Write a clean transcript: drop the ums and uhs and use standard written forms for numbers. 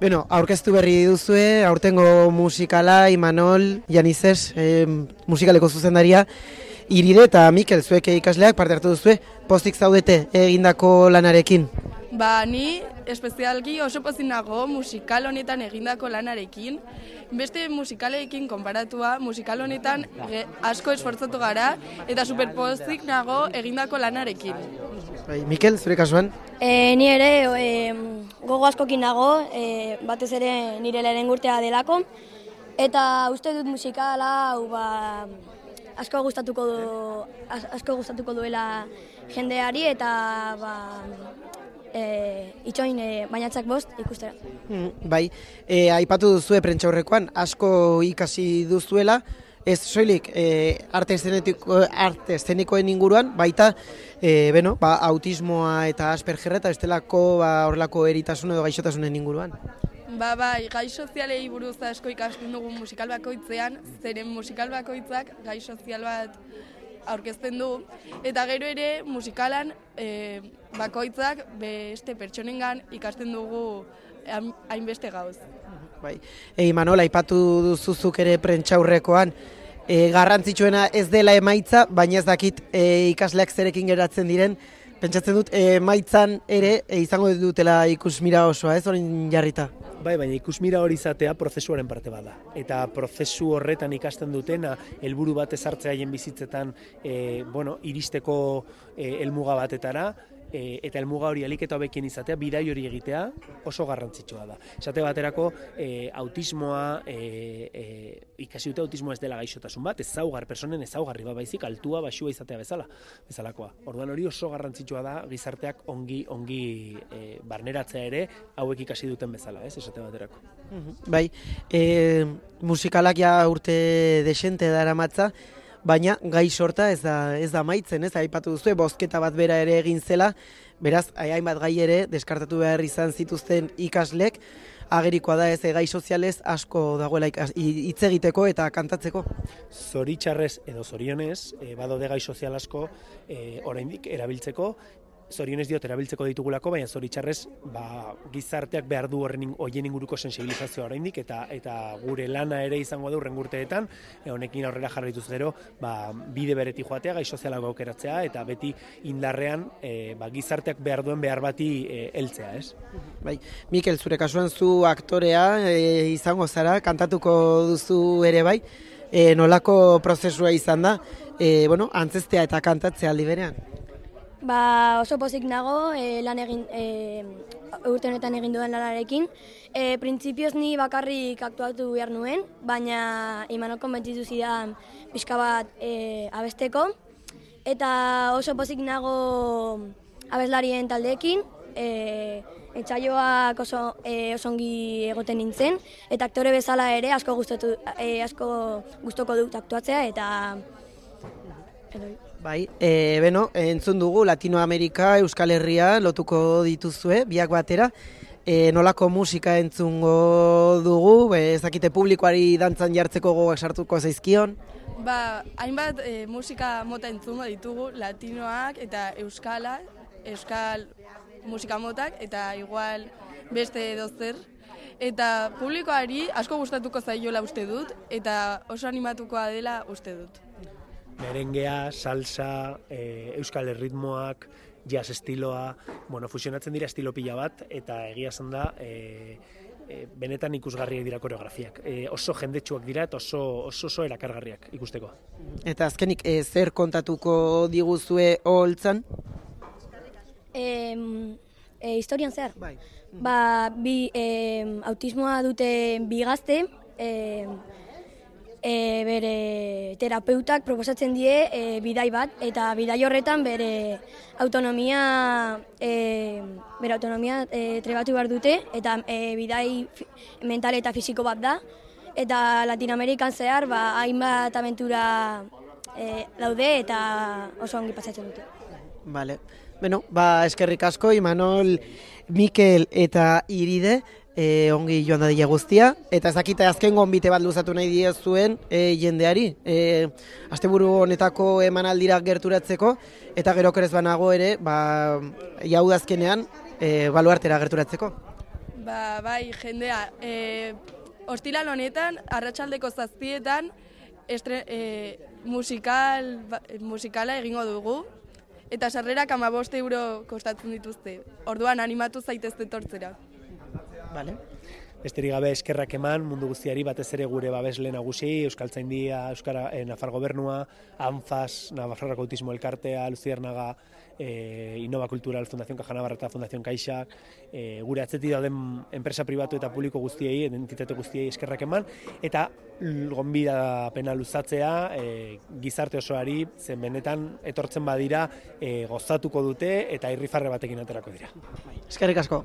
Bueno, aurkeztu berri duzue, aurtengo musikala, Imanol, Janizes, musikaleko zuzendaria, Iride eta Mikel, zuek ikasleak parte hartu duzue, pozik zaudete egindako lanarekin? Ni espezialki oso pozik nago musikal honetan egindako lanarekin. Beste musikalekin konparatua, musikal honetan asko esfortzatu gara eta superpozik nago egindako lanarekin. Mikel, zure kasuan? Ni ere gogo askokin nago, batez ere nire lehen urtea delako, eta uste dut musikala hau asko gustatuko duela jendeari eta itxoin bainatzak bost ikustera. Bai, aipatu duzue prentxaurrekoan, asko ikasi duzuela, ez soilik arte eszenikoen inguruan, baita autismoa eta Aspergerra eta bestelako horrelako eritasun edo gaixotasunen inguruan. Bai, gai sozialei buruz asko ikasten dugu musikal bakoitzean, zeren musikal bakoitzak gai sozial bat aurkezten du, eta gero ere musikalan bakoitzak beste pertsonengan ikasten dugu hainbeste gauz. Bai. Imanol, aipatu duzuzuk ere prentxaurrekoan, garrantzitsuena ez dela emaitza, baina ez dakit ikasleak zerekin geratzen diren, pentsatzen dut emaitzan ere izango dutela ikusmira osoa, ez orain jarrita? Bai, baina ikusmira hori izatea prozesuaren parte bada. Eta prozesu horretan ikasten dutena, helburu bat ezartzea haien bizitzetan iristeko helmuga batetara, eta helmuga hori ahalik eta hobekien izatea, bidai hori egitea oso garrantzitsua da. Esate baterako autismoa, ikasi dute autismoa ez dela gaixotasun bat, personen ezaugarri bat baizik, altua, baxua izatea bezalakoa. Orduan hori oso garrantzitsua da gizarteak ongi barneratzea ere hauek ikasi duten bezala, esate baterako. Bai, musikalak ja urte desente daramatza, baina gai sorta ez da amaitzen, ez? Aipatu duzu, bozketa bat bera ere egin zela, beraz, hainbat gai ere deskartatu behar izan zituzten ikaslek, agerikoa da ez gai sozialez asko dagoela hitz egiteko eta kantatzeko. Zoritxarrez edo zorionez, badaude gai sozial asko oraindik erabiltzeko, zorionez diot erabiltzeko ditugulako, baina zoritxarrez gizarteak behar du horien inguruko sensibilizazioa oraindik eta gure lana ere izango da hurrengo urteetan, honekin aurrera jarraituz gero, bide beretik joatea, gai sozialak aukeratzea eta beti indarrean gizarteak behar duen behar bati heltzea, ez? Bai, Mikel, zure kasuan zu aktorea izango zara, kantatuko duzu ere bai, nolako prozesua izan da, antzestea eta kantatzea aldi berean? Oso pozik nago urte honetan egin dudan lanarekin. Printzipioz ni bakarrik aktuatu behar nuen, baina Imanol konbentzitu zidan pixka bat abesteko. Eta oso pozik nago abeslarien taldeekin, etxaioak oso ongi egoten nintzen, eta aktore bezala ere asko gustoko dut aktuatzea eta... Bai, entzun dugu Latinoamerika, Euskal Herria lotuko dituzue, biak batera. Nolako musika entzungo dugu, ez dakite publikoari dantzan jartzeko gogak sartuko zaizkion? Hainbat musika mota entzungo ditugu, latinoak eta euskal musika motak, eta igual beste edozer. Eta publikoari asko gustatuko zaiola uste dut, eta oso animatukoa dela uste dut. Merengea, salsa, euskal erritmoak, jazz estiloa, fusionatzen dira estilo pila bat, eta egia esan da, benetan ikusgarriak dira koreografiak. Oso jendetsuak dira eta oso erakargarriak ikusteko. Eta azkenik, zer kontatuko diguzue holtzan? Historian zer? Bai. Autismoa dute bi gazte, bere terapeutak proposatzen die bidai bat, eta bidai horretan bere autonomia trebatu behar dute, eta bidai mental eta fisiko bat da, eta Latinoamerikan zehar hainbat abentura daude eta oso ongi pasatzen dute. Vale. Eskerrik asko, Imanol, Mikel eta Iride, ongi joan dadila guztia, eta ez dakite azken gonbite bat luzatu nahi diezuen jendeari, asteburu honetako emanaldira gerturatzeko, eta gero kerez banago ere, jaudazkenean, baluartera gerturatzeko. Bai, jendea, ostiral honetan, arratsaldeko 7etan, musikala egingo dugu, eta sarrerak 15 euro kostatzen dituzte. Orduan animatu zaitezte etortzera. Vale. Besterik gabe eskerrak eman mundu guztiari, batez ere gure babesle nagusi, Euskaltzaindia, Nafar Gobernua, ANFAS, Nafarroako Autismo Elkartea, Luciernaga, Innova Cultural, Fundación Caja Navarra eta Fundación Caixa, gure atzetik dauden enpresa pribatu eta publiko guztiei, entitate guztiei eskerrak eman, eta gonbidapena luzatzea gizarte osoari, zen benetan etortzen badira gozatuko dute eta irrifarre batekin aterako dira. Eskerrik asko.